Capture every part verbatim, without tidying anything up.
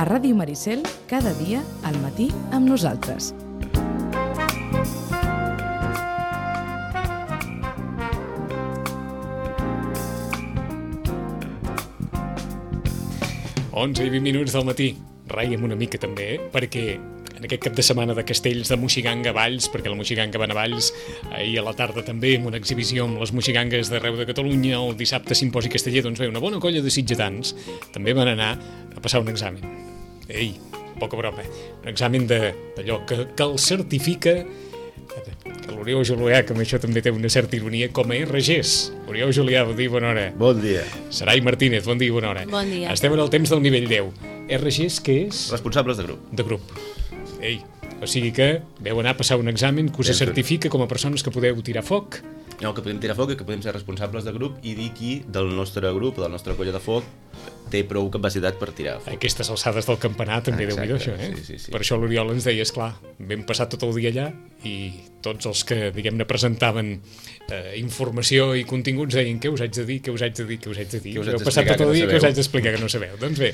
A Ràdio Maricel, cada dia, al matí, amb nosaltres. onze i vint minuts del matí. Raiem una mica també, eh? perquè en aquest cap de setmana de castells de Moixiganga a Valls, perquè la Moixiganga van a Valls, ahir a la tarda també amb una exhibició amb les moixigangues d'arreu de Catalunya, el dissabte simposi casteller, doncs bé, una bona colla de sitgetans també van anar a passar un examen. Ei, poca broma, un examen d'allò que, que el certifica, que l'Oriol Julià, que amb això també té una certa ironia, com a R Gs. Oriol Julià, bon dia, bona hora. Bon dia. Sarai Martínez, bon dia, bona hora. Bon dia. Estem en el temps del nivell deu. R Gs, què és? Responsables de grup. De grup. Ei, o sigui que veu anar a passar un examen que us Ben, certifica com a persones que podeu tirar foc. No, que podem tirar foc i que podem ser responsables de grup i dir qui del nostre grup, de la nostra colla de foc, té prou capacitat per tirar foc. Aquestes alçades del campanar també, Exacte, Déu-n'hi-do, això, eh? sí, sí, sí. Per això l'Oriol ens deia, esclar, vam passar tot el dia allà i tots els que, diguem-ne, presentaven eh, informació i continguts deien què us haig de dir, què us haig de dir, què us haig de dir. Què us haig Heu passat d'explicar tot el que no dia que us sabeu. haig d'explicar que no sabeu. Doncs bé,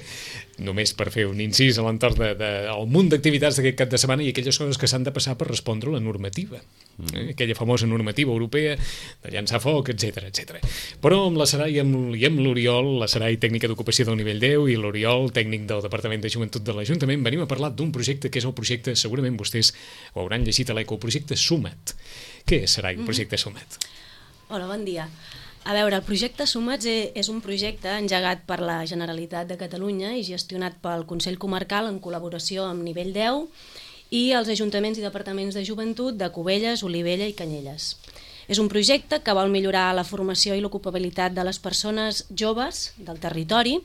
només per fer un incís a l'entorn del de, de, el munt d'activitats d'aquest cap de setmana i aquelles coses que s'han de passar per respondre a la normativa. Eh? Aquella famosa normativa europea de llançar foc, etcètera, etcètera. Però amb la Sarai i amb, i amb l'Oriol, la Sarai tècnica d'ocupació del nivell deu i l'Oriol tècnic del Departament de Joventut de l'Ajuntament, venim a parlar d'un projecte que és el projecte, segurament vostès ho hauran llegit a l'Eco, el projecte Suma't. Què és, Sarai, el projecte Suma't? Hola, bon dia. A veure, el projecte Sumats és un projecte engegat per la Generalitat de Catalunya i gestionat pel Consell Comarcal en col·laboració amb nivell deu i els ajuntaments i departaments de joventut de Cubelles, Olivella i Canyelles. És un projecte que vol millorar la formació i l'ocupabilitat de les persones joves del territori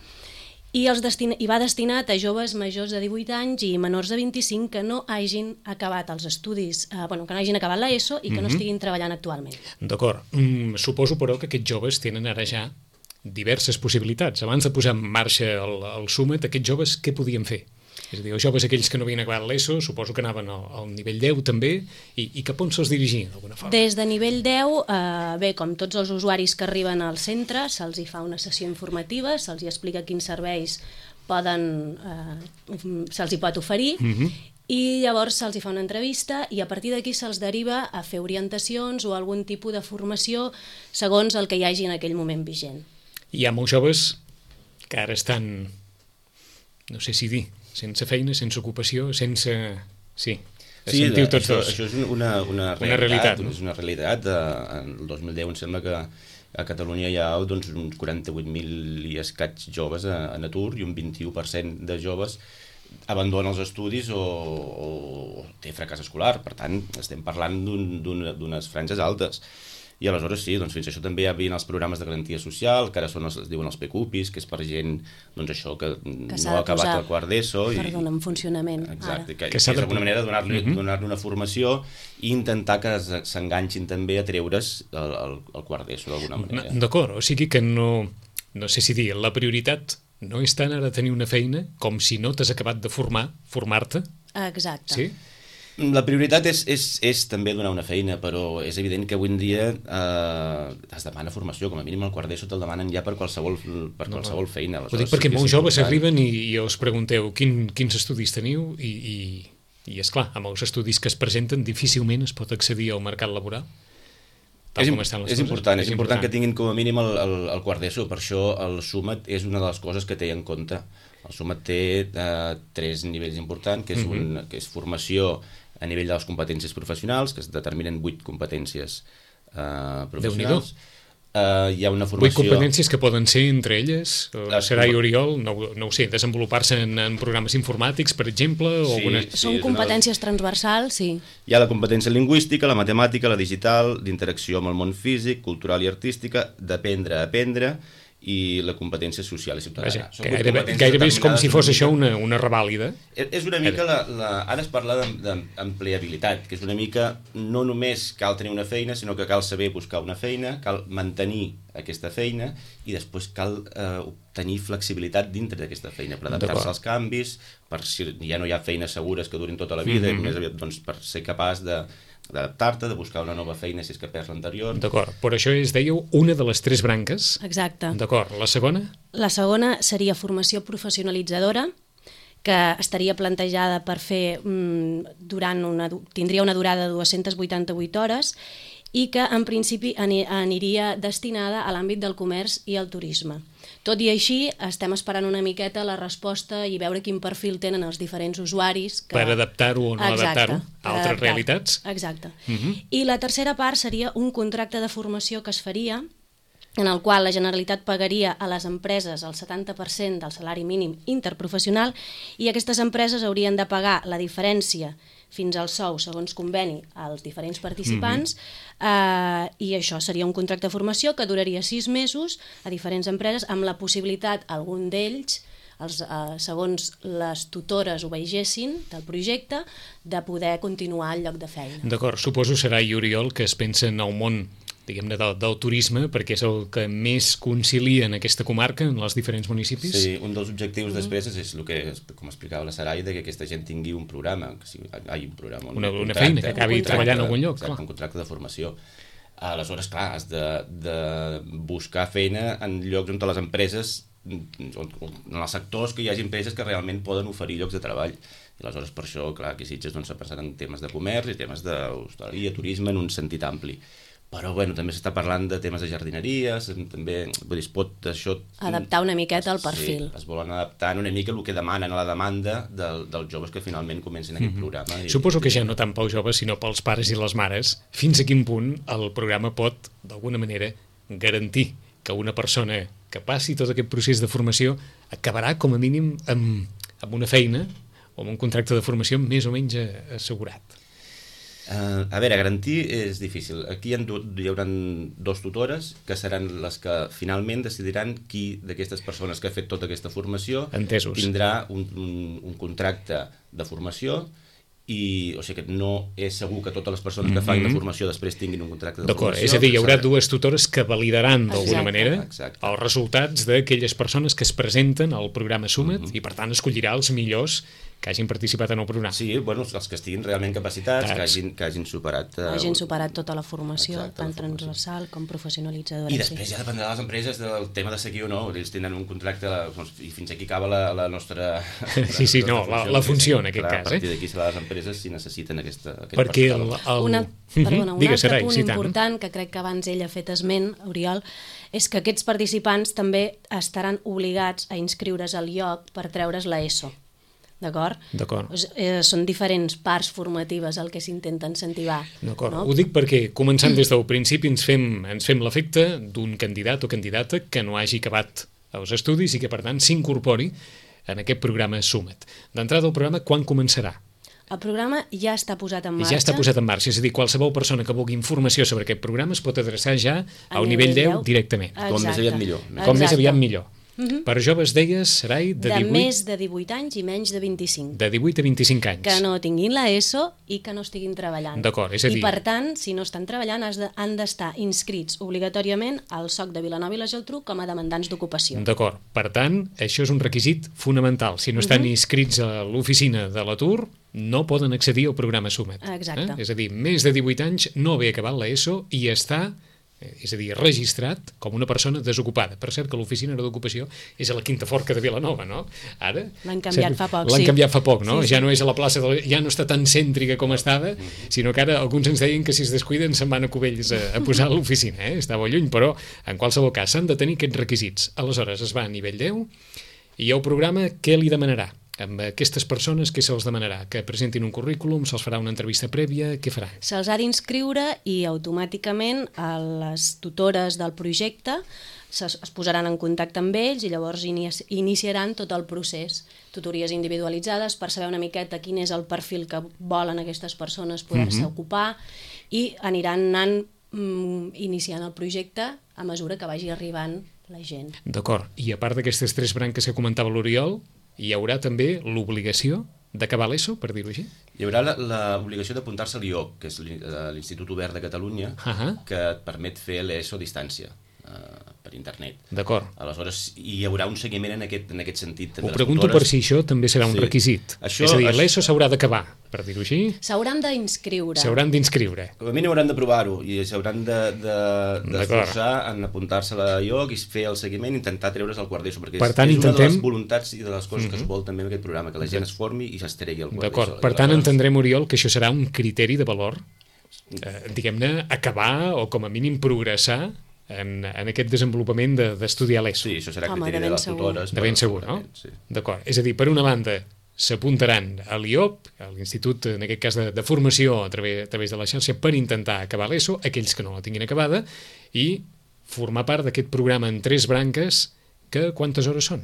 i, els destina- i va destinat a joves majors de divuit anys i menors de vint-i-cinc que no hagin acabat els estudis, eh, bueno, que no hagin acabat l'ESO i que no estiguin treballant actualment. D'acord. Mm, suposo, però, que aquests joves tenen ara ja diverses possibilitats. Abans de posar en marxa el, el Suma't, aquests joves què podien fer? És a dir, els joves aquells que no havien acabat l'ESO, suposo que anaven al, al nivell deu també, i, i cap on se'ls dirigia, d'alguna forma? Des de nivell deu, eh, bé, com tots els usuaris que arriben al centre, se'ls hi fa una sessió informativa, se'ls hi explica quins serveis poden, eh, se'ls hi pot oferir, Mhm. i llavors se'ls hi fa una entrevista i a partir d'aquí se'ls deriva a fer orientacions o algun tipus de formació segons el que hi hagi en aquell moment vigent. Hi ha molts joves que ara estan, no sé si dir, sense feina, sense ocupació, sense... Sí, Sí, sentiu tots això, dos. això és una, una realitat. Una realitat, no? És una realitat. Eh, En el dos mil deu em sembla que a Catalunya hi ha doncs, uns quaranta-vuit mil i escaig joves en atur i un vint-i-u per cent de joves abandona els estudis o, o té fracàs escolar. Per tant, estem parlant d'unes d'un, d'unes franges altes. I aleshores sí, doncs fins això també hi havia els programes de garantia social, que ara són els, es diuen els P Q P Is, que és per gent doncs això que, Que no s'ha ha de acabat posar, el quart d'ESO. I, perdona, en funcionament. exacte, Ara. que, Que que s'ha és de- d'alguna manera donar-li Mhm. donar-li una formació i intentar que es- s'enganxin també a treure's el, el, el quart d'ESO d'alguna manera. D'acord, o sigui que no, no sé si dir, la prioritat no és tant ara tenir una feina com si no t'has acabat de formar, formar-te, Exacte. sí? La prioritat és, és, és també donar una feina, però és evident que avui en dia eh, es demana formació, com a mínim el quart d'ESO te'l demanen ja per qualsevol, per qualsevol feina. Ho Aleshores, dic perquè sí que és molts joves important. arriben i, i us pregunteu quin, quins estudis teniu i, i, i esclar, amb els estudis que es presenten difícilment es pot accedir al mercat laboral. Tal És, com estan les és coses. important, és important que tinguin com a mínim el, el, el quart d'ESO, per això el Suma't és una de les coses que té en compte. El Suma't té eh, tres nivells importants, que és, un, que és formació a nivell de les competències professionals, que es determinen vuit competències eh, professionals. Uh, hi ha una Vuit formació... competències que poden ser entre elles, Les Sarai compe- Oriol, no, no ho sé, desenvolupar-se en, en programes informàtics, per exemple, o Sí. alguna... Sí, Són és una- competències transversals, sí. Hi ha la competència lingüística, la matemàtica, la digital, d'interacció amb el món físic, cultural i artística, d'aprendre a aprendre, i la competència social i ciutadana. Vaja, Són que vuit gairebé, competències gairebé és com determinades si fos una això mica- una, una revàlida. És és una mica la, la... Ara es parla d'empleabilitat, que és una mica no només cal tenir una feina, sinó que cal saber buscar una feina, cal mantenir aquesta feina i després cal eh, obtenir flexibilitat dintre d'aquesta feina per adaptar-se D'acord. als canvis, per si ja no hi ha feines segures que durin tota la vida, Mhm. i més aviat doncs, per ser capaç de d'adaptar-te, de buscar una nova feina si és que perds l'anterior. D'acord, però això és, dèieu, una de les tres branques. Exacte. D'acord, la segona? La segona seria formació professionalitzadora, que estaria plantejada per fer mm, durant una, tindria una durada de dues-centes vuitanta-vuit hores i que en principi aniria destinada a l'àmbit del comerç i el turisme. Tot i així, estem esperant una miqueta la resposta i veure quin perfil tenen els diferents usuaris. Que... Per adaptar-ho o no adaptar-ho a altres adaptar realitats. Exacte. Uh -huh. I la tercera part seria un contracte de formació que es faria en el qual la Generalitat pagaria a les empreses el setanta per cent del salari mínim interprofessional i aquestes empreses haurien de pagar la diferència fins al sou, segons conveni, als diferents participants, mm-hmm. eh, i això seria un contracte de formació que duraria sis mesos a diferents empreses, amb la possibilitat, algun d'ells, els, eh, segons les tutores ho vegessin del projecte, de poder continuar al lloc de feina. D'acord, suposo serà, i Oriol, que es pensa en el món diguem-ne, del, del turisme, perquè és el que més concilia en aquesta comarca, en els diferents municipis. Sí, un dels objectius mm. després és el que, com explicava la Sarai, que aquesta gent tingui un programa, que sigui, hi un programa, un una, una contracte, feina, que acabi treballant en algun lloc. Exacte, un contracte de formació. Aleshores, clar, has de, de buscar feina en llocs on les empreses, en els sectors que hi hagi empreses que realment poden oferir llocs de treball. I aleshores, per això, clar, aquí Sitges s'ha pensat en temes de comerç i temes d'hostaleria, turisme, en un sentit ampli. Però, bueno, també s'està parlant de temes de jardineria, també, vull dir, es pot això... Adaptar una miqueta al perfil. Sí, es volen adaptar una mica el que demanen a la demanda del, dels joves que finalment comencin aquest mm-hmm. programa. I, Suposo que ja no tant pels joves, sinó pels pares i les mares, fins a quin punt el programa pot, d'alguna manera, garantir que una persona que passi tot aquest procés de formació acabarà, com a mínim, amb, amb una feina o amb un contracte de formació més o menys assegurat. Uh, a veure, garantir és difícil. Aquí hi, ha, hi haurà dos tutores que seran les que finalment decidiran qui d'aquestes persones que ha fet tota aquesta formació Entesos. tindrà un, un, un contracte de formació i, o sigui que no és segur que totes les persones que fan mm-hmm. la formació després tinguin un contracte de D'acord, formació. És a dir, hi haurà dues tutores que validaran d'alguna manera exacte. els resultats d'aquelles persones que es presenten al programa Summit mm-hmm. i per tant escollirà els millors que hagin participat en el programa. Sí, bueno, els que estiguin realment capacitats, que hagin, que hagin superat... Uh, hagin superat tota la formació, exacte, tant la formació. Transversal com professionalitzadora. I després sí. ja dependrà de les empreses del tema de seguir o no. Ells tindran un contracte i fins aquí acaba la, la nostra... sí, sí, no, la, la funció en aquest clar, cas. A partir eh? d'aquí serà les empreses si necessiten aquesta, aquest Perquè personal. El, el... Una, perdona, un Digues, altre Sarai, punt sí, important que crec que abans ell ha fet esment, Oriol, és que aquests participants també estaran obligats a inscriure's al lloc per treure's la ESO. D'acord? D'acord. Eh, són diferents parts formatives el que s'intenta incentivar. D'acord. No? Ho dic perquè, començant des del principi, ens fem, ens fem l'efecte d'un candidat o candidata que no hagi acabat els estudis i que, per tant, s'incorpori en aquest programa Summit. D'entrada, el programa, quan començarà? El programa ja està posat en marxa. Ja està posat en marxa, és a dir, qualsevol persona que vulgui informació sobre aquest programa es pot adreçar ja al nivell deu directament. Com més aviat millor. Com més aviat millor. Uh-huh. Per joves, deies, Sarai, de, de divuit... més de divuit anys i menys de vint-i-cinc. De divuit a vint-i-cinc anys. Que no tinguin la ESO i que no estiguin treballant. D'acord, és a dir... I per tant, si no estan treballant, han d'estar inscrits obligatòriament al S O C de Vilanova i la Geltrú com a demandants d'ocupació. D'acord, per tant, això és un requisit fonamental. Si no estan uh-huh. inscrits a l'oficina de l'atur, no poden accedir al programa Summit. Exacte. Eh? És a dir, més de divuit anys, no haver acabat la ESO i està... és a dir, registrat com una persona desocupada. Per cert que l'oficina d'ocupació és a la Quinta Forca de Vilanova, no? Ara... L'han canviat fa poc, L'han sí. canviat fa poc, no? Sí, sí. Ja no és a la plaça, de... ja no està tan cèntrica com estava, sinó que ara alguns ens deien que si es descuiden se'n van a Cubells a, a posar a l'oficina, eh? Estava lluny, però en qualsevol cas s'han de tenir aquests requisits. Aleshores es va a nivell deu i el programa què li demanarà? Amb aquestes persones què se'ls demanarà? Que presentin un currículum, se'ls farà una entrevista prèvia, què faran? Se'ls ha d'inscriure i automàticament les tutores del projecte es posaran en contacte amb ells i llavors iniciaran tot el procés. Tutories individualitzades per saber una miqueta quin és el perfil que volen aquestes persones poder-se mm-hmm. ocupar i aniran anant mm, iniciant el projecte a mesura que vagi arribant la gent. D'acord. I a part d'aquestes tres branques que comentava l'Oriol, hi haurà també l'obligació d'acabar l'ESO, per dir-ho així? Hi haurà l'obligació d'apuntar-se a l'I O C, que és l'Institut Obert de Catalunya, uh-huh. que et permet fer l'ESO a distància. Uh, per internet. D'acord. Aleshores, hi haurà un seguiment en aquest, en aquest sentit. Ho pregunto per si això també serà un Sí. requisit. Això- és a dir, això- l'ESO s'haurà d'acabar, per dir-ho així, S'hauran d'inscriure. s'hauran d'inscriure. Com a mínim hauran de provar-ho i s'hauran de, de, d'esforçar en apuntar-se a la I O C i fer el seguiment i intentar treure's el quart d'ESO, perquè Per tant, és, és una de intentem- les voluntats i de les coses que es vol també en aquest programa, que la gent es formi i s'estregui el quart D'acord. d'ESO. Per tant, Aleshores, entendrem, Oriol, que això serà un criteri de valor, eh, diguem-ne, acabar o com a mínim progressar en, en aquest desenvolupament de- d'estudiar l'ESO. Sí, això serà Home, criteri de de ben les segur. tutores. De ben però segur, no? segurament, Sí. D'acord. És a dir, per una banda, s'apuntaran a l'I O P, a l'Institut, en aquest cas, de, de formació a través, a través de la xarxa, per intentar acabar l'ESO, aquells que no la tinguin acabada, i formar part d'aquest programa en tres branques, que quantes hores són?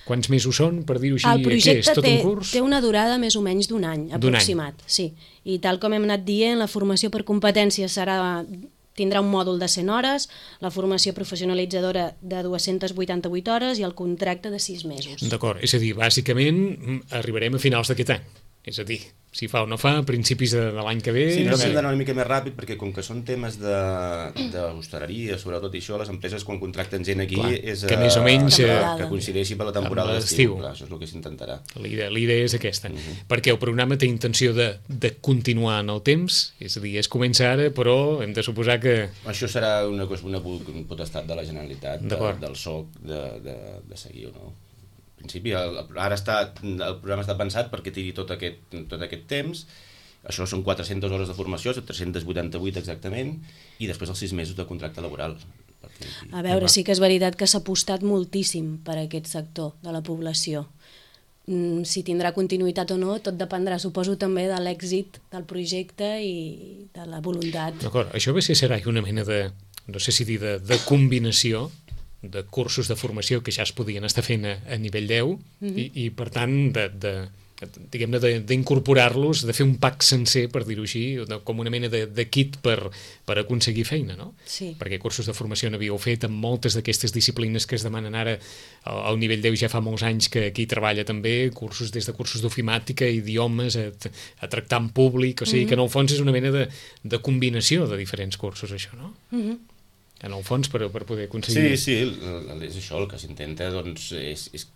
Quants mesos són, per dir-ho així? El Què projecte és, tot té, un curs? té una durada més o menys d'un any, D'un any. aproximat. Sí. I tal com hem anat dient, la formació per competències serà, tindrà un mòdul de cent hores, la formació professionalitzadora de dues-centes vuitanta-vuit hores i el contracte de sis mesos. D'acord, és a dir, bàsicament mm, arribarem a finals d'aquest any. És a dir, si fa o no fa, a principis de, de l'any que ve... Sí, però eh, hem d'anar una mica més ràpid perquè com que són temes d'hostaleria, sobretot i això, les empreses quan contracten gent aquí Clar, és que més o menys, que, eh, que coincideixi per la temporada amb d'estiu. l'estiu. Clar, això és el que s'intentarà. La idea, la idea és aquesta, perquè el programa té intenció de, de continuar en el temps, és a dir, es comença ara, però hem de suposar que... Això serà una, cosa- una potestat de la Generalitat, de, D'acord. del S O C, de, de, de seguir o no. En principi, el, ara està, el programa està pensat perquè tiri tot aquest, tot aquest temps. Això són quatre-centes hores de formació, tres-centes vuitanta-vuit exactament, i després els sis mesos de contracte laboral. Perquè, A veure, sí que és veritat que s'ha apostat moltíssim per aquest sector de la població. Mm, si tindrà continuïtat o no, tot dependrà, suposo, també de l'èxit del projecte i de la voluntat. D'acord, això ve ser serà una mena de, no sé si dir, de, de combinació de cursos de formació que ja es podien estar fent a, a nivell deu mm-hmm. i, i, per tant, de, de, diguem-ne, de- d'incorporar-los, de fer un pack sencer, per dir-ho així, de, com una mena de, de kit per, per aconseguir feina, no? Sí. Perquè cursos de formació n'havíeu fet amb moltes d'aquestes disciplines que es demanen ara al, al nivell deu, ja fa molts anys que aquí treballa també, cursos des de cursos d'ofimàtica, idiomes, a, a tractar en públic, o sigui mm-hmm. que en el fons és una mena de, de combinació de diferents cursos, això, no? Mm-hmm. En el fons, per, per poder aconseguir... Sí, sí, el- el- és això, el que s'intenta doncs, és, és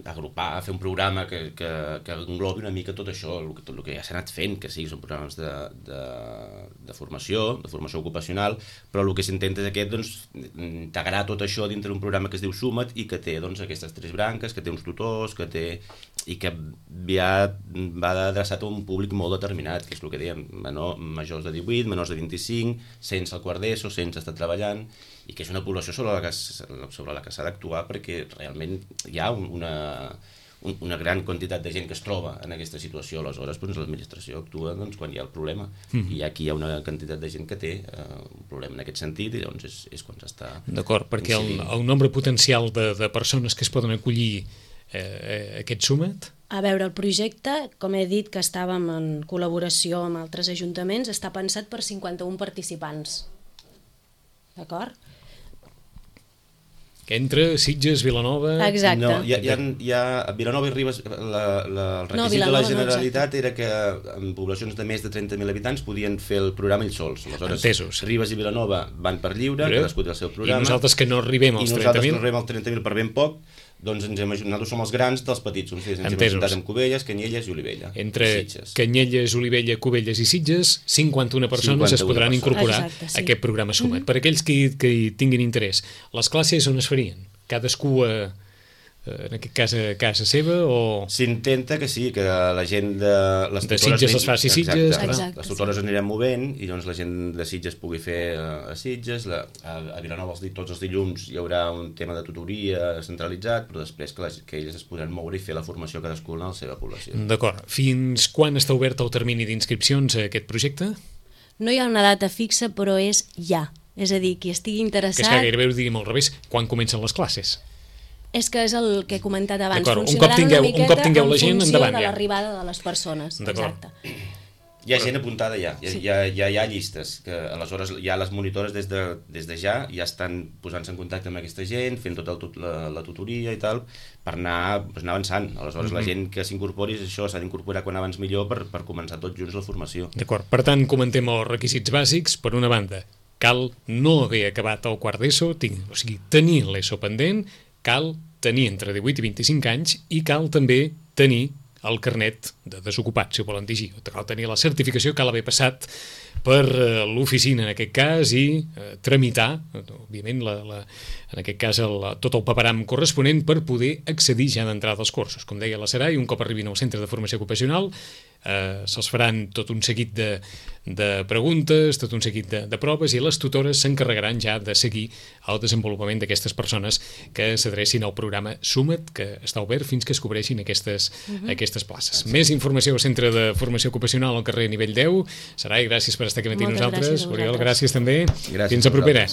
agrupar, fer un programa que, que, que englobi una mica tot això, el, que- tot el que ja s'ha anat fent, que sí, són programes de, de, de formació, de formació ocupacional, però el que s'intenta és aquest, doncs, integrar tot això dintre d'un programa que es diu Suma't i que té doncs, aquestes tres branques, que té uns tutors, que té i que ja va adreçat a un públic molt determinat, que és el que dèiem, menor, majors de divuit, menors de vint-i-cinc, sense el quart d'ESO, sense estar treballant, i que és una població sobre la que, s- sobre la que s'ha d'actuar perquè realment hi ha un- una, un- una gran quantitat de gent que es troba en aquesta situació. Aleshores, doncs, l'administració actua doncs, quan hi ha el problema. Mm. I aquí hi ha una quantitat de gent que té eh, un problema en aquest sentit i doncs és, és quan s'està... D'acord, perquè el, incidint. el nombre potencial de, de persones que es poden acollir eh, aquest Suma't, A veure, el projecte, com he dit que estàvem en col·laboració amb altres ajuntaments, està pensat per cinquanta-un participants. D'acord? que entra Sitges, Vilanova... Exacte. No, hi ha, hi ha, hi ha a Vilanova i Ribes, la, la, el requisit No, de Vilanova la no, Generalitat era que en poblacions de més de trenta mil habitants podien fer el programa ells sols. Aleshores, Entesos. Ribes i Vilanova van per lliure, Lliure. cadascú té el seu programa. I nosaltres que no arribem als I trenta nosaltres mil... que no arribem als trenta mil per ben poc, doncs ens hem, nosaltres som els grans dels petits. Ens hem Entesos. presentat amb Cubelles, Canyelles i Olivella. Entre i Sitges. Canyelles, Olivella, Cubelles i Sitges, cinquanta-una persones es cinquanta-una podran persones. incorporar Exacte, sí. a aquest programa Suma't. Per aquells que, hi- que hi tinguin interès, les classes on es farien? Cadascú a, en aquest cas a casa seva o... S'intenta que sí, que la gent de... Les De tutores Sitges anin- les faci Exacte. Sitges, clar. Exacte, Les tutores sí. anirem movent i doncs la gent de Sitges pugui fer eh, a Sitges, la, a, a Vilanova els, di- tots els dilluns hi haurà un tema de tutoria centralitzat, però després que, les, que elles es podran moure i fer la formació cadascuna a la seva població. D'acord. Fins quan està obert el termini d'inscripcions a aquest projecte? No hi ha una data fixa, però és ja. És a dir, qui estigui Que és interessat... que gairebé ho diríem al revés, quan comencen les classes? És que és el que he comentat abans. D'acord, un Funcionaran cop tingueu- una un miqueta cop tingueu la gent, en funció endavant, de ja. l'arribada de les persones. D'acord. Exacte. Hi ha gent apuntada ja, hi ha, hi ha, hi ha, hi ha llistes, que aleshores ja les monitores des de, des de ja ja estan posant-se en contacte amb aquesta gent, fent tota el, tut- la, la tutoria i tal, per anar, pues, anar avançant. Aleshores mm -hmm. la gent que s'incorpori, això s'ha d'incorporar quan abans millor per, per començar tots junts la formació. D'acord. Per tant, comentem els requisits bàsics. Per una banda, cal no haver acabat el quart d'ESO, o sigui, tenir l'ESO pendent, cal tenir entre divuit i vint-i-cinc anys i cal també tenir el carnet de desocupat, si ho volen dir així. Cal tenir la certificació, cal haver passat per eh, l'oficina, en aquest cas, i eh, tramitar, òbviament, la, la, en aquest cas, el, tot el paperam corresponent per poder accedir ja d'entrada als cursos. Com deia la Sarai, un cop arribin al centre de formació ocupacional, eh, se'ls faran tot un seguit de, de preguntes, tot un seguit de, de proves, i les tutores s'encarregaran ja de seguir el desenvolupament d'aquestes persones que s'adrecin al programa Suma't, que està obert fins que es cobreixin aquestes, uh-huh. aquestes places. Més informació al Centre de Formació Ocupacional al carrer Nivell deu. Sarai, gràcies per estar aquí amb nosaltres. Moltes gràcies a Oriol, vosaltres. gràcies també. Gràcies Fins a propera.